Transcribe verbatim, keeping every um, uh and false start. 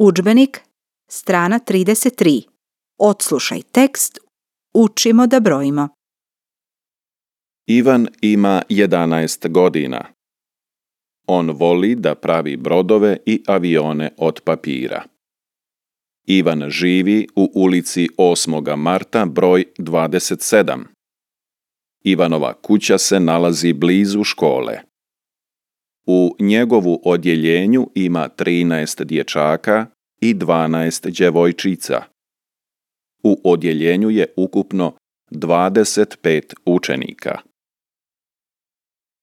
Udžbenik, strana trideset tri. Odslušaj tekst, učimo da brojimo. Ivan ima jedanaest godina. On voli da pravi brodove i avione od papira. Ivan živi u ulici osmog marta broj dvadeset sedam. Ivanova kuća se nalazi blizu škole. U njegovu odjeljenju ima trinaest dječaka i dvanaest djevojčica. U odjeljenju je ukupno dvadeset pet učenika.